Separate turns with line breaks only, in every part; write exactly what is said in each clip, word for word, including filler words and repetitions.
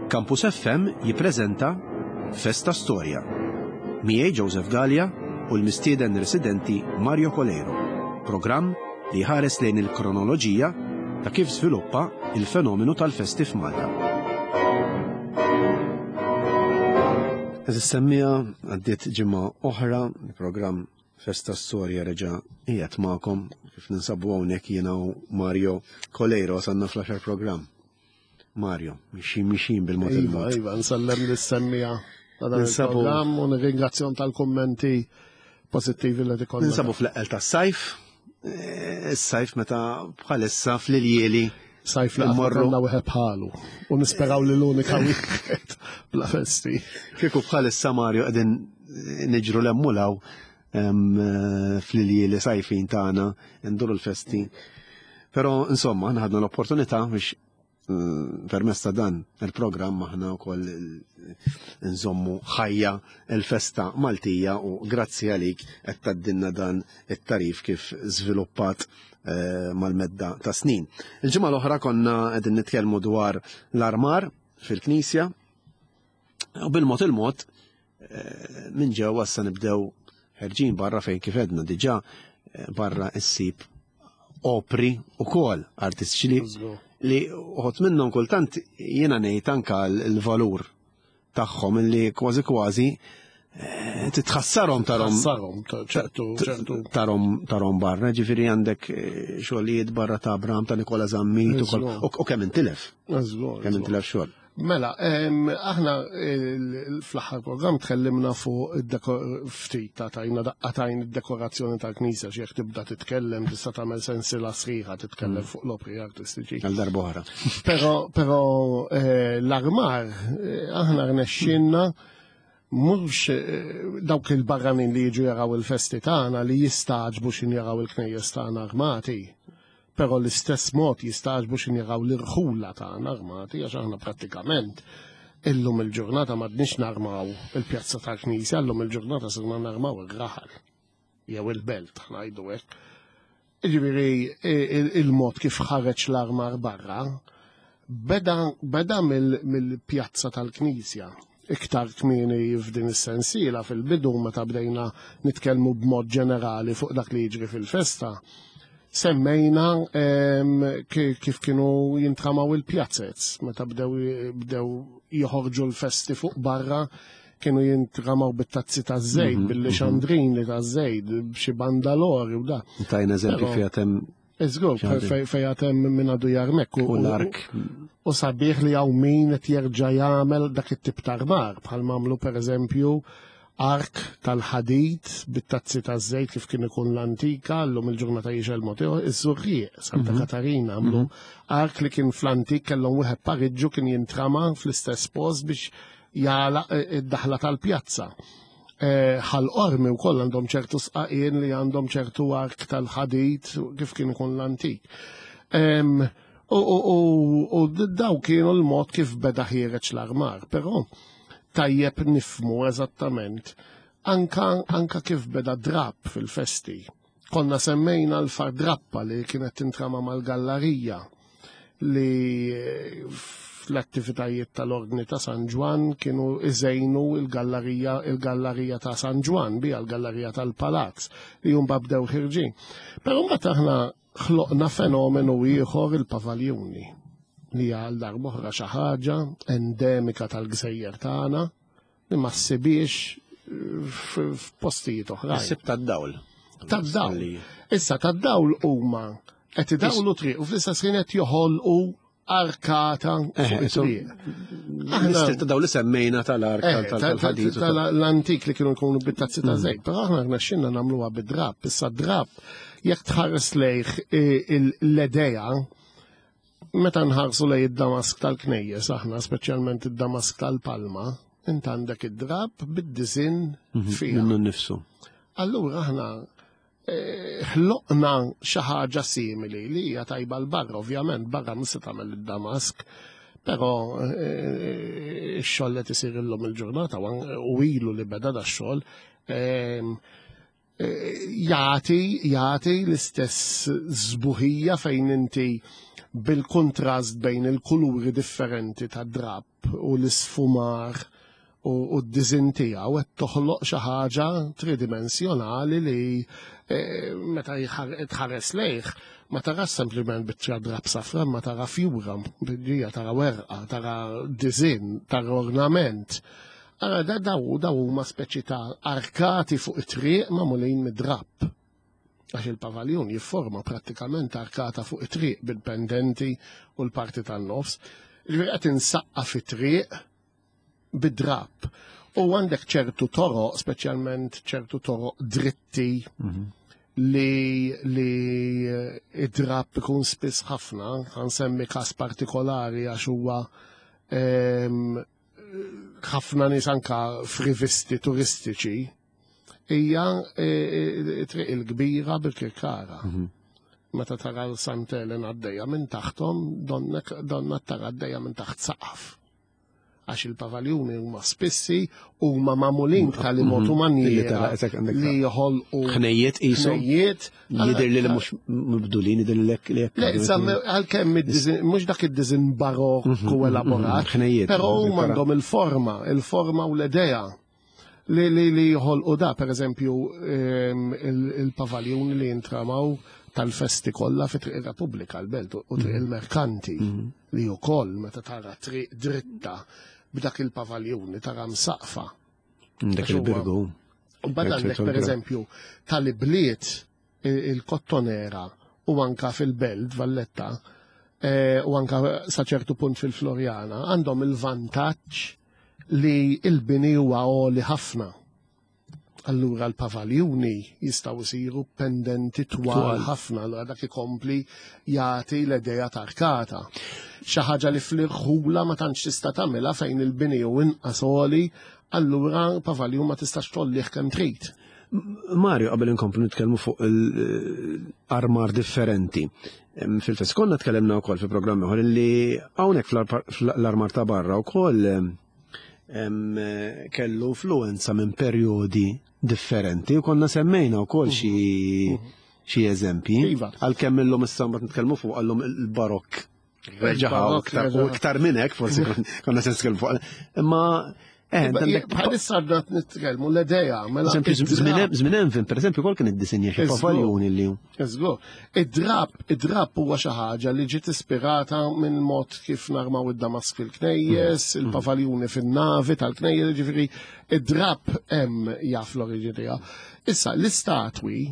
Campus F M jippreżenta Festa Storja. Miegħi Joseph Gallia u l-mistieden residenti Mario Coleiro. Programm li ħares lejn il-kronoloġija ta' kif żviluppa il-fenomenu tal-festi f'Malta. Għeżież semmiegħa, għaddiet ġimgħa oħra, il-programm Festa Storja reġa' qiegħed magħkom, kif ninsabu hawnhekk jiena u Mario Coleiro sanna fl-għaxar programm. Mario, mixin mixin bil-mod
Iva,
il-mod.
Iva, nsellem lis-semmiegħa ta' dan
Ninsabu-
il-programm u nirringrazzjahom tal-kummenti pożittivi li ikollna.
Ninsabu fl-eqqel tas-sajf, eh, is-sajf meta bħalissa fl-iljieli
Sajf li
immorru-
għandna wieħed bħalu u nisperaw li l-unika wieħed bla festi.
Kieku bħalissa, Mario, qegħdin niġru l-emmulaw fl-iljieli sajfin tagħna nduru l-festi. Però insomma, aħna ħadna l-opportunità biex eh, permezz ta' dan il-programm aħna wkoll nżommu ħajja il-festa Maltija u grazzi għalik qed tgħaddilna dan it-tagħrif kif żviluppat eh, mal-medda ta' snin. Il-ġimgħa l-oħra konna qegħdin nitkellmu dwar l-armar fil-Knisja u bil-mod il-mod eh, minn ġewwa issa nibdew ħerġin barra, fejn kif edna diġà eh, barra issib opri u kol artistiċi li li uħud minnhom kultant jiena ngħid anka l-valur tagħhom illi kważi kważi eh, titħassarhom tarhom
Ħassarhom, ċertu, ċertu.
tarhom tarhom barra, ġifieri għandek eh, xogħlijiet barra ta' Abram, ta' Nikola Zammit ukoll
Eżatt.
u u kemm intilef,
Żgur,
kemm
żgur.
intilef xogħol.
Mela, em, aħna il- fl-aħħar programm tkellimna fuq id-deko- ftit ta' tajna daqqatajn id-dekorazzjoni tal-knisja, xi jekk tibda titkellem tista' tagħmel sensiela sħiħa titkellem fuq l-opri artistiċi.
Għal darba oħra.
Però, però eh, l-armar, eh, aħna rnexxinna mhux eh, dawk il-barranin li jiġu jaraw il-festi tagħna li jistagħġbu xin jaraw il-knejjes tagħna armati. Però l-istess mod jistagħġbu xin jaraw l-irħula tagħna armati, għax aħna prattikament illum il-ġurnata m'għadniex narmaw il-pjazza tal-Knisja, illum il-ġurnata sirna narmaw ir-raħal jew il-belt, ngħidu hekk. Ġifieri il- il-mod kif ħareġ l-armar barra beda, beda mill- mill-pjazza tal-Knisja. Iktar kmieni f'din is-sensiela, fil-bidu meta bdejna nitkellmu b'mod ġenerali fuq dak li jiġri fil-festa, semmejna em, ki- kif kienu jintramaw il-pjazzez, meta bdew bdew joħorġu l-festi fuq barra, kienu jintramaw bit-tazzi ta' żejt, bil-xandrini ta' żejt, b'xi bandalori u da.
Tajna eżempju
Però-
fiha hemm
Iżgur,
Xandrin.
fejn hemm minn għadu jarmek.
U l-ark.
U sabiħ li hawn min qed jerġa' jagħmel dak it-tip ta' armar, bħal mamlu per eżempju ark tal-ħadid bit-tazzi ta' żejt kif kien ikun l-antika, llum il-ġurnata jixgħel mod ieħor, iż-Żurrieq, Santa Katarina għamlu ark li kien fl-antik kellhom wieħed pariġġu kien jintrama fl-istess post biex jagħlaq id-daħla tal-pjazza. Eh, Ħal Qormi wkoll għandhom ċertu sqaqien li għandhom ċertu ark tal-ħadid kif kien ikun l-antik. Em, U, u, u, u daw kienu l-mod kif beda ħiereġ l-armar, però tajjeb nifhmu eżattament anka, anka kif beda drap fil-festi. Konna semmejna l-fardrappa li kienet tintrama mal-gallarija li eh, fl-attivitajiet tal-Ordni ta' San Ġwan kienu iżejnu il-gallerija il-gallerija ta' San Ġwan bija l-gallerija tal-Palazz li jum bdew ħirġin. Però mbagħad aħna ħloqna fenomenu ieħor, il-pavaljuni, li għal darb'oħra xi ħaġa endemika tal-gżejjer tagħna li ma ssibiex f- f'postijiet oħrajn.
Sib tad-dawl.
Tad-dawl. Issa tad-dawl huma qed idawlu triq u fl-istess ħin qed joħolqu arkata fuq
Eh, so-
it-triq.
L-istil ta' dawl li semmejna tal-ark
Eh,
tal-ħadid. u tal-
tal-antik li kienu jkunu bit-tazzi ta' żejt, però aħna rnexxinna nagħmluha bid-drap. Issa drap, jekk tħares lejh eh, il- l-idea, meta nħarsu lej id-damask tal-knejjes, aħna speċjalment id-damask tal-Palma, int għandek id-drap bid-disinn fiha.
Minnu nnifsu.
Allura aħna eh, ħloqna xi ħaġa simili li hija tajba l barra, ovvjament, barra mhux se tagħmel id-damask, però eh, ix-xogħol qed isir illum il-ġurnata u an- u ilu li beda da x-xogħol ehm, eh, jagħti jagħti l-istess sbuħija fejn inti bil-kontrast bejn il-kuluri differenti ta' drap. Id-drapp u l-isfumar u d-disinn tiegħu qed toħloq xi ħaġa tridimensjonali li eh, meta tħares lejh ma tarax sempliment biċċa drapp safra, ma tara fjura, ġija tara werqa, tara disinn, tara ornament. Ara da daw daw huma speċi ta' arkati fuq it-triq magħmulin mid-drapp. Għax il-pavaljun jifforma prattikament arkata fuq it-triq bil-pendenti u l-parti tan-nofs. Ġifieri qed insaqqa fit-triq bid-drapp. U għandek ċertu toroq, speċjalment ċertu toroq dritti, mhm. li li eh, id-drapp ikun spiss ħafna, ħansemmi kas partikolari għax huwa ehm, ħafna nies anka f'rivisti turistiċi, hija eh, eh, triq il-kbira bil-Kirkara. Mhm. Meta tara l-Sant'Elen għaddejja minn taħtom, donna tara għaddejja minn taħt saqaf għax il-pavaljuni huma spissi huma magħmulin b'tali mod u mhm. maniera li joħolqu
ħnejjiet qishom.
Ħnejjiet.
Jidher li mhux mibdulin, jidher li li
Le, għalkemm mhux dak id-diżin barokku mhm, mhm, elaborat,
ħnejjiet.
Però huma għandhom il-forma, il-forma u l-idea li li li joħolqu da, per eżempju, ehm, il-pavaljuni li jintramaw tal-festi kollha fi Triq ir-Repubblika l-Belt u Triq mhm. il-Merkanti mhm. li wkoll meta tara triq dritta b'dak il-pavaljuni tara msaqfa.
Dak il-birgu.
U bad għandek per eżempju tal-ibliet il-Kottonera u anka fil-Belt Valletta eh, u anka sa ċertu punt fil-Florjana għandhom il-vantaġġ li il-bini huwa għoli ħafna. Allura l-pavaljuni jistgħu jsiru pendenti twal ħafna, allura dak ikompli jagħti l-idea ta' arkata. Xi ħaġa li fl-irħula ma tantx tista' tagħmilha fejn il-bini hu inqas għoli, allura pavaljun ma tistax tgħollih kemm trid.
Mario, qabel inkomplu nitkellmu fuq l-armar differenti. Fil-fest konna tkellimna wkoll fi programm ieħor li hawnhekk fl-armar ta' barra wkoll kellu influenza minn perjodi differenti u konna semmejna wkoll xi mhm. xi eżempji.
Iva.
Għalkemm illum issa mbagħad nitkellmu fuq għallum il-barokk reġaħa u iktar minn hekk forsi konna se nitkellmu fuq. Imma
eh, Bħalissa għadna nitkellmu l-idea. Mela
żmien Envin, per eżempju, kol kien iddisinja xi pavaljuni li.
Żgur. Id-drab, id-drab huwa xi ħaġa li ġiet ispirata minn mod kif narmaw id-damask fil-knejjes, mm. il-pavaljuni fin-navi tal-knejjes, ġifieri id-drab hemm jaf l-oriġini tiegħu. Issa l-istatwi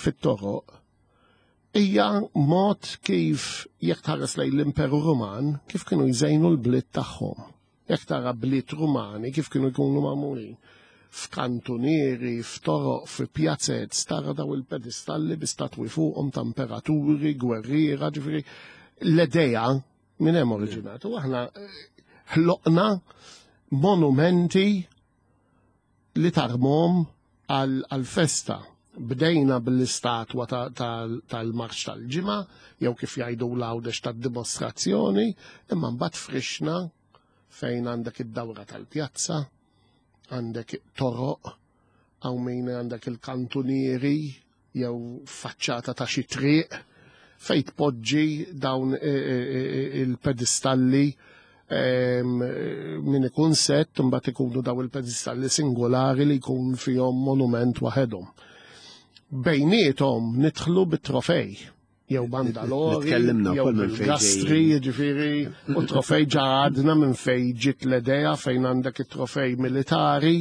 fit-toroq hija mod kif jekk tħares lejn l-Imperu Ruman kif kienu jżejnu l-bliet tagħhom. Jekk tara bliet Rumani kif kienu jkunu magħmulin. F'kantunieri, f'toroq, fi pjazez, tara daw il-pedistalli bi statwi fuqhom ta' imperaturi, gwerriera, ġifieri l-idea minn hemm oriġinat. U aħna eh, ħloqna monumenti li tarmhom għal-festa. Bdejna bil-istatwa tal-marċ tal-ġimgħa, jew kif jgħidu l-Għawdex tad-dimostrazzjoni, imma mbagħad frixna fejn għandek id-dawra tal-pjazza, għandek toroq, hawn min għandek il-kantunieri jew faċċata ta' xi triq fejn tpoġġi dawn e, e, e, il-pedistalli min ikun set mbagħad ikunu daw il-pedistalli singolari li jkun fihom monument waħedhom. Bejniethom nidħlu bit-trofej jew bandalori,
Tkellimna
jew
wkoll minn fejn
bil-gastri, jiġifieri, u trofej ġa għadna minn fejn ġiet l-idea fejn għandek it-trofej militari,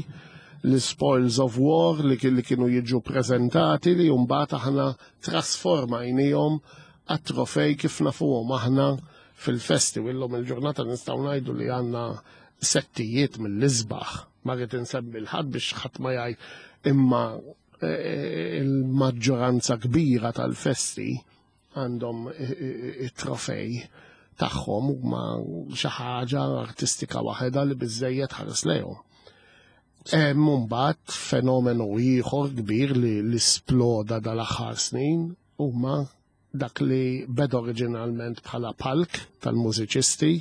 l-spoils of war li li kienu jiġu prezentati li mbagħad aħna trasformajnihom għat-trofej kif nafuhom aħna fil-festi u illum il-ġurnata nistgħu ngħidu li għandna settijiet mill-isbaħ. Ma rrid insemmi l-ħadd biex ħadd ma jgħid imma eh, il-maġġoranza kbira tal-festi għandhom it-trofej tagħhom huma xi ħaġa artistika waħedha li biżejjed ħares lejhom. Hemm mbagħad fenomenu ieħor kbir li li sploda dal-aħħar snin huma dak li beda oriġinalment bħala palk tal-mużiċisti,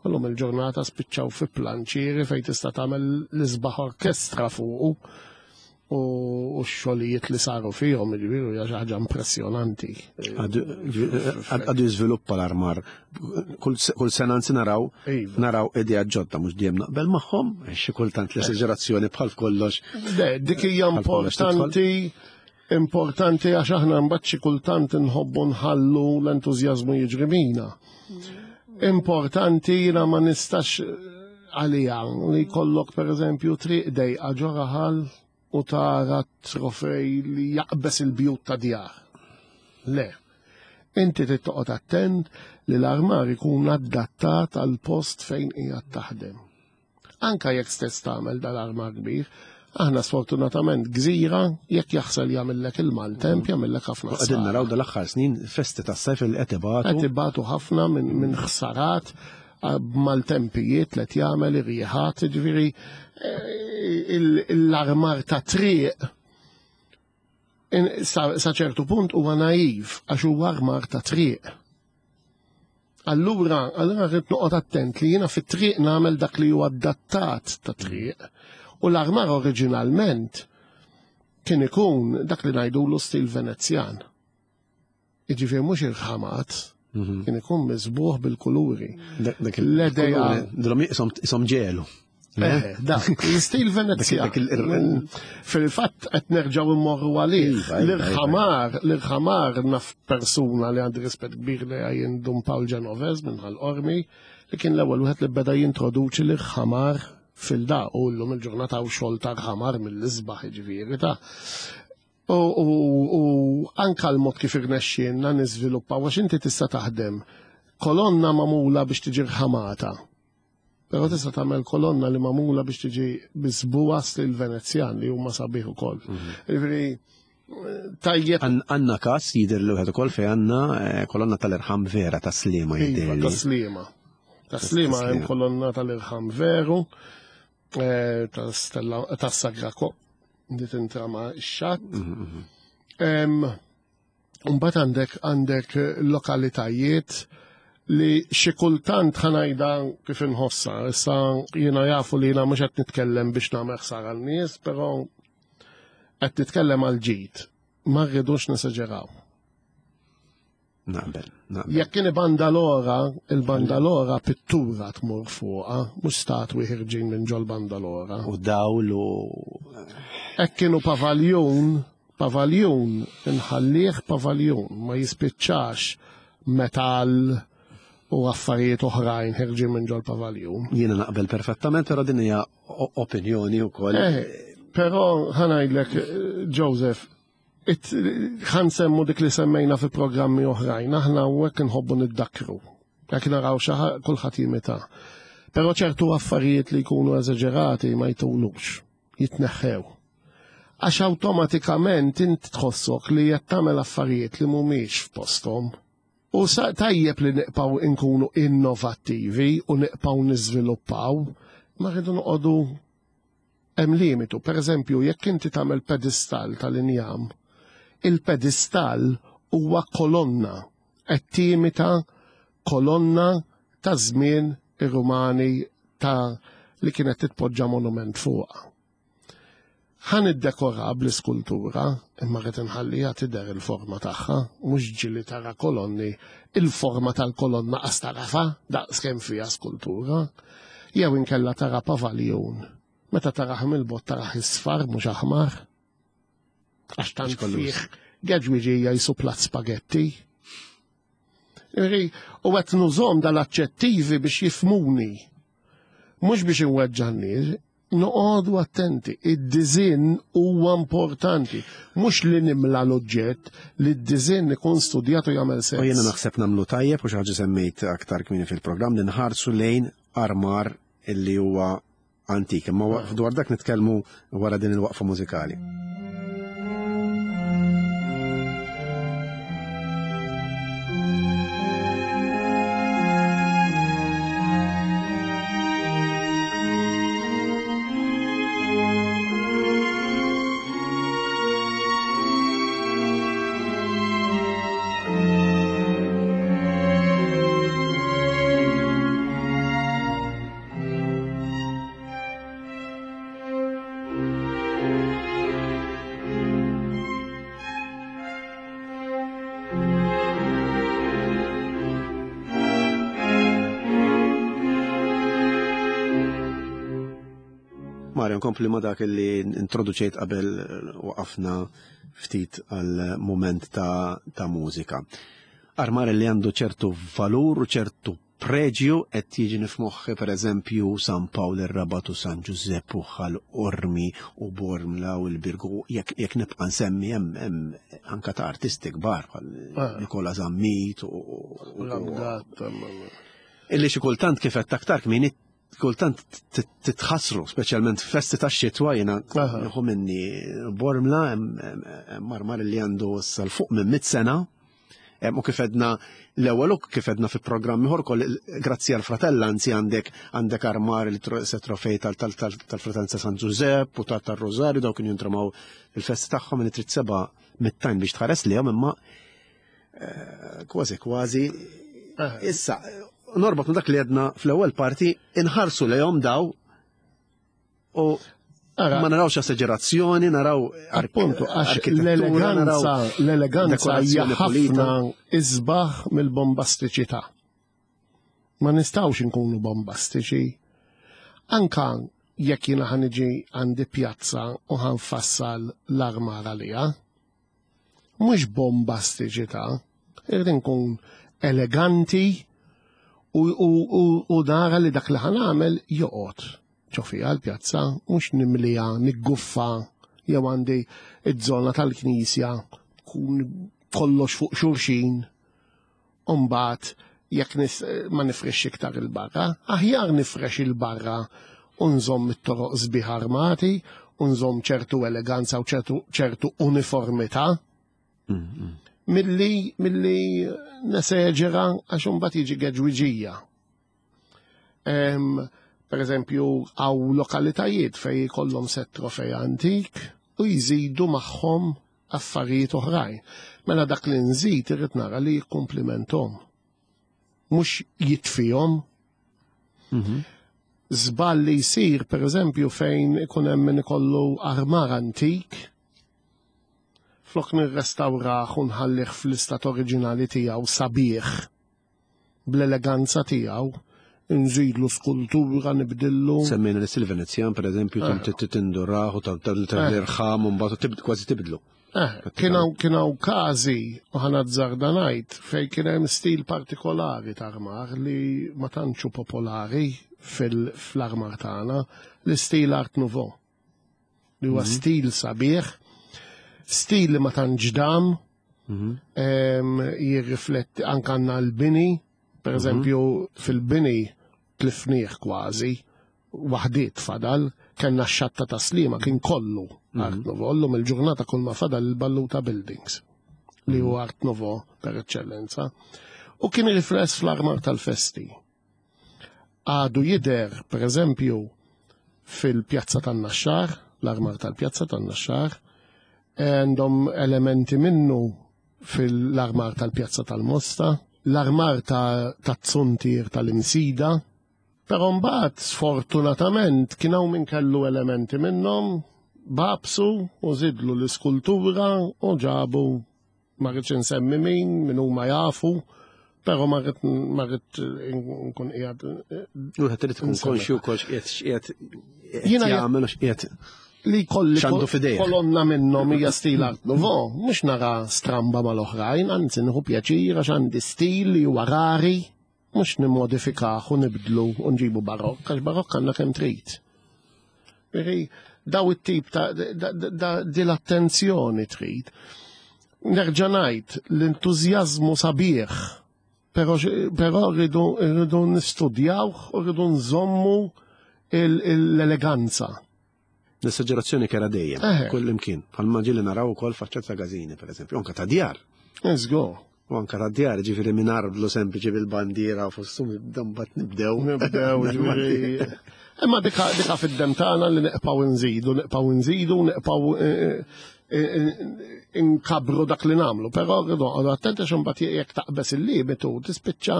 u llum il-ġurnata spiċċaw fi planċieri fejn tista' tagħmel l-isbaħ orkestra fuqu. U x-xogħlijiet li saru fihom, jiġifieri hija xi ħaġa impressjonanti.
Għadu jiżviluppa l-armar. Kull sena anzi naraw
Iva.
naraw idea ġodda, mhux dejjem naqbel magħhom, xi kultant l-esaġerazzjoni bħal f'kollox.
Le, dik hija
Bħal kollox tidħol.
importanti, importanti għax aħna mbagħad xi kultant inħobbu nħallu l-entużjażmu jiġri bina. Importanti jiena ma nistax għalija li jkollok pereżempju triq dejqa ġo raħal u tara trofej li jaqbes il-bjut ta' djar. Le. Inti trid toqgħod attent li l-armar ikun adattat għal post fejn qiegħed taħdem. Anka jekk stess tagħmel dal-armar kbir, aħna sfortunatament gżira, jekk jaħsel jagħmellek il-maltemp, jagħmellek ħafna
Qegħdin
ħsara.
naraw dal-aħħar snin festi tas-sajf li qed ibatu.
Qed ibatu ħafna minn min ħsarat maltempijiet li qed jagħmel irjieħat, jiġifieri eh, il- l-armar ta' triq in- sa sa ċertu punt huwa naiv għax huwa armar ta' triq. Allura, allura rrid noqgħod attent li jiena fit-triq nagħmel dak li huwa adattat ta' triq. U l-armar oriġinalment kien ikun dak li ngħidulu stil Venezjan. Jiġifieri mhux irħamat, kien ikun miżbuħ bil-kuluri.
Dak
L-idea-
Dilhom isom ġelu.
Eh, dak, l-istil Venezjan.
Dak il-
Fil-fatt qed nerġgħu immorru għalih.
Iva, iva,
L-irħamar, l-irħamar naf persuna li għandi rispett kbir li għajn Dun Paul Genovez minn Ħal Qormi, li kien l-ewwel wieħed li beda jintroduċi l-irħamar fil-da u llum il-ġurnata u xogħol ta' rħamar mill-isbaħ jiġifieri ta' U, u, u anka l-mod kif irnexxielna niżviluppaw għax inti tista' taħdem kolonna magħmula biex tiġi rħamata. Però tista' tagħmel kolonna li magħmula biex tiġi miżbuha stil Venezjan li huma sabiħ ukoll. Jiġifieri tajjeb
Għandna każ jidher li wieħed ukoll fejn għandna eh, kolonna tal-irħam vera ta' Sliema
Iva,
jidher li.
ta' Sliema. Ta' Sliema hemm
Sliema.
kolonna tal-irħam veru, eh, ta' Stella ta' Sagra Ko li tintrama x-xatt. Em, Mbagħad għandek għandek lokalitajiet li xi kultant ħa ngħidha kif inħossa. Issa jiena jafu li jiena mhux qed nitkellem biex nagħmel ħsara għan-nies, però qed nitkellem għal ġid. Ma rridux nesaġeraw.
Naqbel, naqbel.
Jekk kien bandalora, il-bandalora pittura tmur fuqha, mhux statwi ħirġin minn ġol bandalora.
U dawl u
Hekk kienu pavaljun, pavaljun, inħallih pavaljun, ma jispiċċax metal u affarijiet oħrajn ħirġin minn ġol pavaljun.
jiena naqbel perfettament, però din hija o- opinjoni wkoll.
Eh, però ħa ngħidlek, eh, Joseph, it- ħa nsemmu dik li semmejna fi programmi oħrajn, aħna hekk nħobbu niddakru. Jekk naraw xi ħa- kulħadd jimita. Però ċertu affarijiet li jkunu eżaġerati ma jtulux, jitneħħew. Għax awtomatikament int tħossok li qed tagħmel affarijiet li mhumiex f'posthom. U sa tajjeb li nibqgħu nkunu innovattivi u nibqgħu niżviluppaw, ma rridu noqogħdu hemm limitu. Per eżempju, jekk inti tagħmel pedestal tal-injam, il-pedestal huwa kolonna qed timita kolonna ta' żmien ir-Rumani ta' li kienet titpoġġa monument fuqha. Ħa niddekora bl-iskultura, imma rrid inħalliha tidher il-forma tagħha, mhux ġili tara kolonni, il-forma tal-kolonna qas tarafa daqs kemm fiha skultura, jew inkella tara pavaljun. Meta tarah mill-bogħod tarah isfar mhux aħmar. Għax tant
kollu
fih geġwiġija jisu plat spagetti. Iri, U qed nużahom dal-aġġettivi biex jifhmuni. Mhux biex inweġġa' n-nies, noqogħdu attenti. Id-design huwa importanti. Mhux li nimla l-oġġett, li d-design ikun studjat u jagħmel sens.
U jiena naħseb nagħmlu tajjeb u xi ħaġa semmejt aktar kmieni fil-programm li nħarsu lejn armar illi huwa antik. Imma dwar dak nitkellmu wara din il-waqfa mużikali.
Thank
Mario, nkompli ma dak li introduċejt qabel waqafna ftit għal moment ta', ta' mużika. Armar li għandu ċertu valur u ċertu preġju qed jiġi f'moħħi, per eżempju, San Pawl ir-Rabat u San Ġużepp u Ħal Qormi u Bormla u l-Birgu, jekk jekk nibqa' nsemmi, hemm hemm anka ta' artisti kbar bħal
Ah.
Nikola Zammit u u-
L-Gatt,
illi xi kultant, kif qed aktar kmieni, kultant titħassru, speċjalment festi tax-xitwa. Jiena
Aha.
nieħu minni Bormla, hemm hemm armar li għandu issa 'l fuq minn mit sena. Hemm, u kif edna l-ewwel u kif edna fi programmi oħra ukoll, grazzi għal fratellanzi għandek għandek armar li tro- se trofej tal- tal- tal- tal-fratellanza San Giuseppe u tal tal-Rosario, dawk kienu jintramaw il-festi tagħhom li trid seba' mittajn biex tħares lihom, imma eh, kważi kważi issa norbot ma' dak li għedna fl-ewwel parti, inħarsu lejhom daw u
Ara,
ma narawx esagerazzjoni, naraw ark-
Appuntu, għax
arkitettura, naraw
l-eleganza, l-eleganza hija
dekorazzjoni
ħafna
pulita.
isbaħ mill-bombastiċità. Ma nistgħux inkunu bombastiċi. Anka jekk jiena ħa niġi għandi pjazza u ħa nfassal l-armar għalija. Mhux bombastiċità, irrid nkun eleganti u, u, u, u nara li dak li ħa nagħmel joqgħod ġo fiha l-pjazza, mhux nimlija, nigguffa, jew għandi iż-żona tal-knisja kun kollox fuq xulxin. Umbagħad jekk nis, ma nifrex iktar il-barra, aħjar nifrex il-barra u nżomm it-toroq sbieħ armati, u nżomm ċertu eleganza u ċertu, ċertu uniformità, milli milli neseġera, għax imbagħad jiġi geġwiġija. Em, per eżempju, hawn lokalitajiet fej kollhom set trofej antik u jżidu magħhom affarijiet oħrajn. Mela dak li nżid irrid nara li jikkumplimenthom. Mhux jitfihom. Żball li jsir, per eżempju, fejn ikun hemm min ikollu armar antik, flok nirrestawrah u nħallih fl-istat oriġinali tiegħu sabiħ bl-eleganza tiegħu, nżidlu skultura, nibdillu.
Semmejna l-istil Venezjan, per eżempju,
Eh.
tindurah u tal-irħam u mbagħad tibd- kważi tibdlu.
Eh, kien hawn kien hawn każi, u ħa nazzarda ngħid, fejn kien hemm stil partikolari ta' armar li ma tantxu popolari fil-armar tagħna, l-istil Art Nouveau. Li huwa stil sabiħ, stil li ma tantx dam, em, jirrifletti anke għandna l-bini, per eżempju, fil-bini tlifnieh kważi, waħdiet fadal, kellna x-xatta ta' Slima kien kollu Art Nouveau, llum il-ġurnata kull ma fadal il-Balluta Buildings, li huwa Art Nouveau per eccellenza. U kien rifless fl-armar tal-festi. Għadu jidher, per eżempju, fil-pjazza tan-Naxxar, l-armar tal-pjazza tan-Naxxar, għandhom elementi minnu fil-armar tal-pjazza tal-Mosta, l-armar ta' ta' Zuntier tal-Imsida, però mbagħad sfortunatament kien hawn min kellu elementi minnhom, babsu u żidlu l-iskultura u ġabu, ma rridx insemmi min, min huma jafu, però ma rrid ma rrid nkun qiegħed
U qed trid tkun
Insemmi.
konxju wkoll x'qiegħed x'qiegħed
Jiena
jagħmel u x'qiegħed
li kolli
x'għandu f'idejh.
Kolonna minnhom hija stil Art Nouveau, mhux nara stramba mal-oħrajn, anzi nieħu pjaċir għax għandi stil li huwa rari, mhux nimmodifikah u nibdlu u nġibu barokk, għax barokk għandna kemm trid. Veri, daw it-tip ta' da- da- da- di l-attenzjoni trid. Nerġa' ngħid, l-entużjażmu sabiħ, però però rridu rridu nistudjawh u rridu nżommu il- l-eleganza.
L-esagerazzjoni kera dejjem,
Eh.
kull imkien. Bħalma ġieli naraw ukoll faċċat ta' każini, per eżempju, anka ta' djar.
Let's go.
U anka ta' djar, ġifieri minn arblu sempliċi bil-bandiera u fostum mbagħad nibdew.
Nibdew, ġifieri. Imma dika, dika fid-dem tagħna li nibqgħu nżidu, nibqgħu nżidu, nibqgħu eh, eh, inkabru dak li nagħmlu, però rridu noqogħdu attenti għax imbagħad jekk taqbeż il-limitu tispiċċa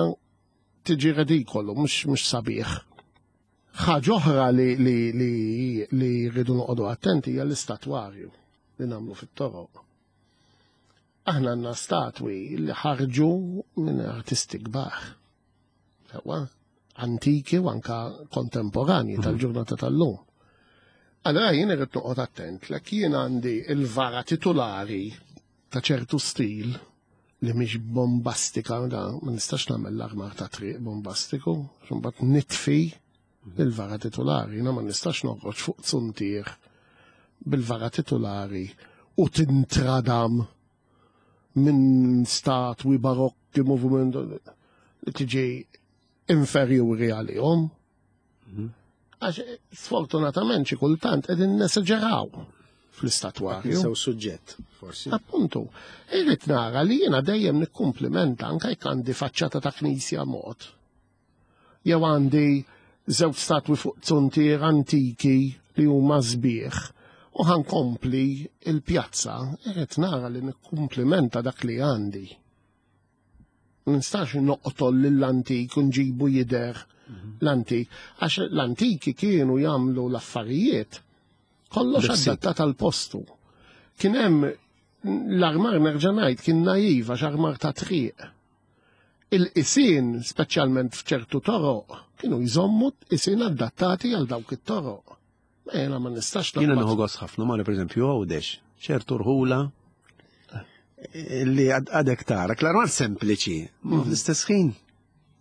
tiġi redikolu, mhux mhux sabiħ. Ħaġa oħra li li li li rridu noqogħdu attenti hija l-istatwarju li nagħmlu fit-toroq. Aħna għandna statwi li ħarġu minn artisti kbar. Sewwa, antiki u anka kontemporanji tal-ġurnata tal-lum. Allora jien irrid noqgħod attent lek jien għandi il-vara titulari ta' ċertu stil li mhix bombastika, da ma nistax nagħmel l-armar ta' triq bombastiku, mbagħad nitfi il-vara titulari, jiena ma nistax noħroġ fuq zuntier bil-vara titulari u tintradam minn statwi barokki moviment li tiġi inferjuri għalihom. Għax sfortunatament xi kultant qegħdin nesaġeraw fl-istatwarju.
Ninsew suġġett, forsi.
Appuntu, irrid nara li jiena dejjem nikkumplimenta anke jekk għandi faċċata ta' knisja mod. Jew għandi żewġ statwi fuq zuntier antiki li huma sbieħ u ħankompli il-pjazza, irrid nara li nikkumplimenta dak li għandi. Nistax noqtol lill-antik u nġibu jidher l-antik, għax l-antiki kienu jagħmlu l-affarijiet kollox
Bil-ħsieb.
adattat għal postu. Kien hemm l-armar nerġa' ngħid kien naiv għax armar ta' triq. Il-qisien, speċjalment f'ċertu toroq, kienu jżommu qisien adattati għal dawk it-toroq. Ma jiena ma nistax
Jiena
naqbad
nieħu gost ħafna, ma per eżempju Għawdex, ċertu rħula li għad- għadek tara, l-armar sempliċi, ma fl-istess ħin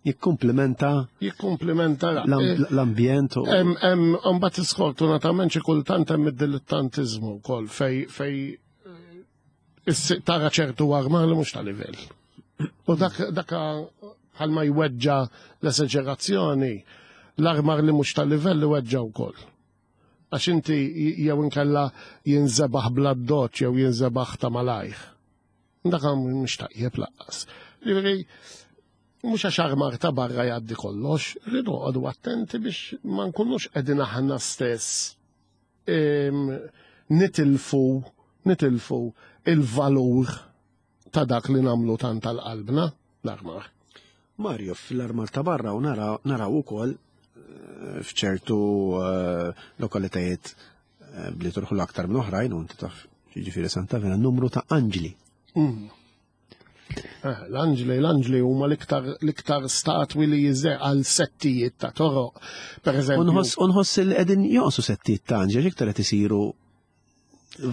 jikkumplementa
jikkumplimenta
l-am- l-ambjent u
Hemm hemm mbagħad sfortunatament xi kultant hemm id-dilettantiżmu wkoll fej fej eh, issi- tara ċertu armar li mhux ta' livell. U dak dak bħalma jweġġa l-esaġerazzjoni, l-armar li mhux ta' livell iweġġa wkoll. Għax inti jew inkella jinżebaħ bla doċ jew jinżebaħ ta' malajr. Dak mhux tajjeb lanqas. Ġifieri, mhux għax armar ta' barra jgħaddi kollox, rridu noqogħdu attenti biex ma nkunux qegħdin aħna stess em, nitilfu nitilfu il-valur ta' dak li nagħmlu tant tal-qalbna l-armar.
Mario, fl-armar ta' barra u naraw naraw ukoll eh, f'ċertu eh, lokalitajiet eh, bli turħu l-aktar minn oħrajn, u inti taf ġifieri Santa Venera, numru ta' anġli.
Eh, L-anġli, l-anġli huma l-iktar l-iktar statwi li jiżer għal settijiet ta' toroq. Per eżempju,
Unħoss unħoss li qegħdin jonqsu settijiet ta' anġli, iktar qed isiru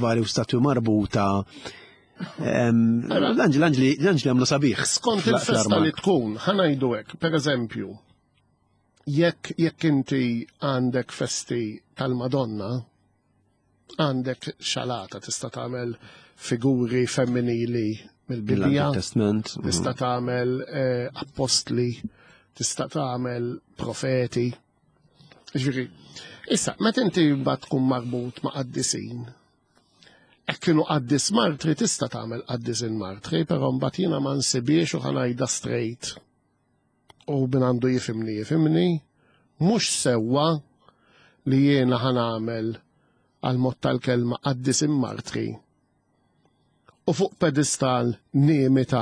vari u statwi marbuta. Em, L-anġli, l-anġli, l-anġli għamlu sabiħ.
Skont
fl-
il-festa
fl-armar.
li tkun, ħa ngħidu hekk, per eżempju, jekk jekk inti għandek festi tal-Madonna, għandek xalata tista' tagħmel figuri femminili mill-Bibbja,
Mill-Antik Testament.
tista' tagħmel eh, apostli, tista' tagħmel profeti. Ġifieri, issa, meta inti mbagħad tkun marbut ma' qaddisin, hekk kienu qaddis martri tista' tagħmel qaddisin martri, però mbagħad jiena ma nsibiex u ħa ngħidha straight. U min għandu jifhimni jifhimni, mhux sewwa li jiena ħa nagħmel għal mod tal-kelma qaddisin martri. U fuq pedestal nimita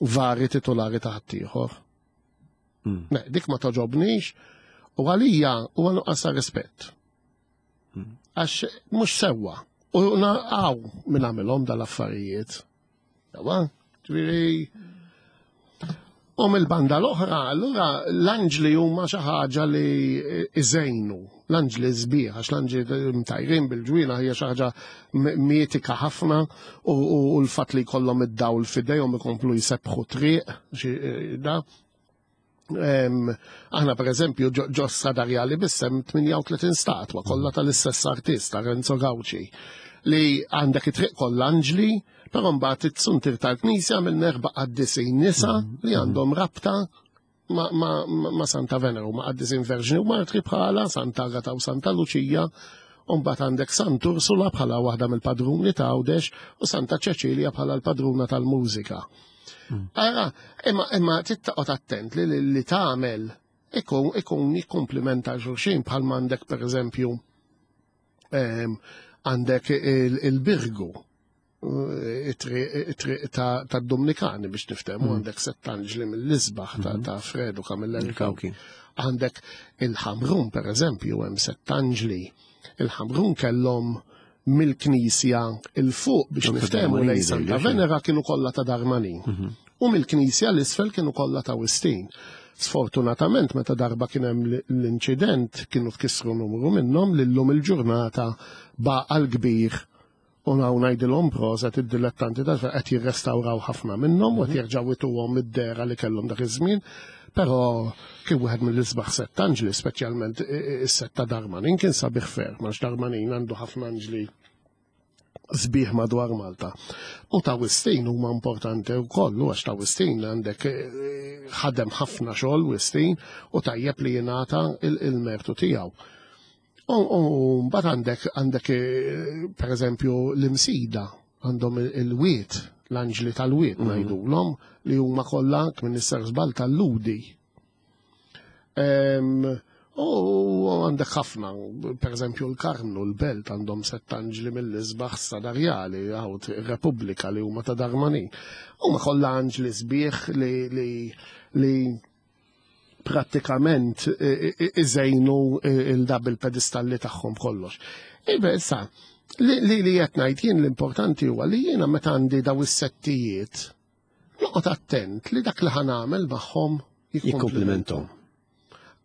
vari titolari ta' ħaddieħor.
Mm.
Ne, dik ma toġobnix u għalija huwa nuqqas ta' rispett. Għax mhux sewwa. U naqaw minn għamilhom dal-affarijiet. Sewwa, ġifieri U mill-banda l-oħra, allura l-anġli huma xi ħaġa li iżejnu. L-anġli sbieħ, għax l-anġli mtajrin bil-ġwienaħ hija xi ħaġa mitika ħafna u u l-fatt li jkollhom id-dawl f'idejhom ikomplu jsebħu triq, xi da. Em, Aħna per eżempju ġo ġo Strada Rjali biss hemm tmienja u tletin statwa kollha tal-istess artista Renzo Gauci li għandek it-triq kollha anġli, però mbagħad it-suntir tal-knisja minn erba' qaddisin nisa li għandhom rabta ma, ma, ma, ma Santa Venera, ma qaddisin Verġni u Martri bħala Santa Agata u Santa Luċija, u mbagħad għandek Sant Ursula bħala waħda mill-padruni ta' Għawdex u Santa Ċeċilja bħala l-padruna tal-mużika. Ara, imma imma trid attent li li, li tagħmel ikun ikun jikkumplimenta xulxin bħal m'għandek per eżempju em, għandek il- il-Birgu it-triq ta' Dominikani biex niftehmu għandek sett anġli mill-isbaħ ta' ta' Fredu Camilleri
Cauchi.
Għandek il-Ħamrun per eżempju hemm sett anġli. Il-Ħamrun kellhom mill-Knisja il-fuq biex
Ta'
niftehmu
Darmanin
lej Santa
jidher,
Venera kienu kollha ta' Darmanin. U mill-Knisja l-isfel kienu kollha ta' Wistin. Sfortunatament meta darba kien hemm l-inċident kienu tkissru numru minnhom li llum il-ġurnata baqa' l-kbir u hawn ngħidilhom proset id-dilettanti ta' qed jirrestawraw ħafna minnhom u qed jerġgħu jtuhom id-dehra li kellhom dak iż-żmien. Però kien wieħed mill-isbaħ sett anġli, speċjalment is-sett ta' Darmanin kien sabiħ ferm, għax Darmanin għandu ħafna anġli sbieħ madwar Malta. U ta' Wistin huma importanti wkoll, għax ta' Wistin għandek ħadem ħafna xogħol Wistin u tajjeb li jingħata il-mertu tiegħu. U mbagħad għandek għandek pereżempju l-Imsida għandhom il-wiet, l-anġli tal-wiet ngħidulhom li huma kollha minn isser żball tal-ludi. U għandek ħafna, per eżempju l-Karmnu, l-Belt għandhom sett anġli mill-isbaħ sadarjali, għaw Repubblika li huma ta' Darmanin. Huma kollha anġli sbieħ li li li prattikament iżejnu il-dab il-pedestalli tagħhom kollox. Ibe issa, li li qed ngħid jien l-importanti huwa li jiena meta għandi daw is-settijiet noqgħod attent li dak li ħa nagħmel magħhom
jikkumplimenthom.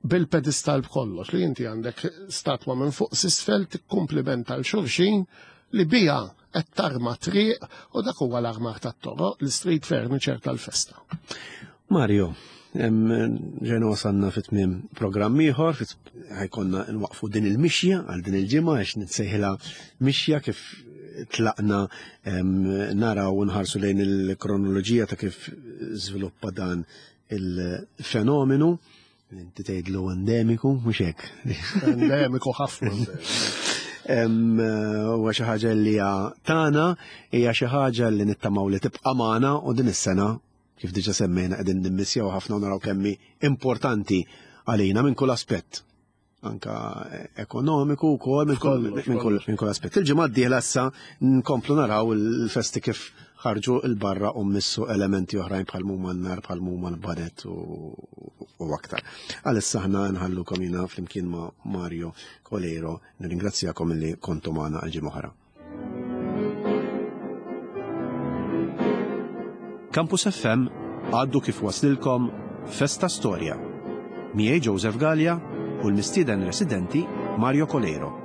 Bil-pedestal b'kollox li inti għandek statwa minn fuq s'isfel tikkumplimenta l xulxin li bija qed tarma triq u dak huwa l-armar tat-toroq, l-street furniture tal-festa.
Mario, ġejna wasalna fi tmiem programm ieħor, ħajkonna nwaqfu din il-mixja għal din il-ġimgħa għax nitsejħilha mixja kif tlaqna naraw u nħarsu lejn il-kronoloġija ta' kif żviluppa dan il-fenomenu. Inti tgħidlu endemiku, mhux hekk.
Endemiku ħafna.
Huwa xi ħaġa li hija tagħna, hija xi ħaġa li nittamaw li tibqa' magħna u din is-sena kif diġà semmejna qegħdin nimmissjaw ħafna u naraw kemm hi importanti għalina minn kull aspett. Anka ekonomiku wkoll minn kull minn kull aspett. Il-ġimgħa d-dieħla issa nkomplu naraw il-festi kif ħarġu il-barra u missu elementi oħrajn bħal huma n-nar, bħal huma l-banet u aktar. Għalissa aħna nħallukom jiena flimkien ma' Mario Coleiro, nirringrazzjakom li kontu magħna għal ġimgħa oħra. Campus F M għaddu kif waslilkom Festa Storja. Miegħi Joseph Galea u l-mistieden residenti Mario Coleiro.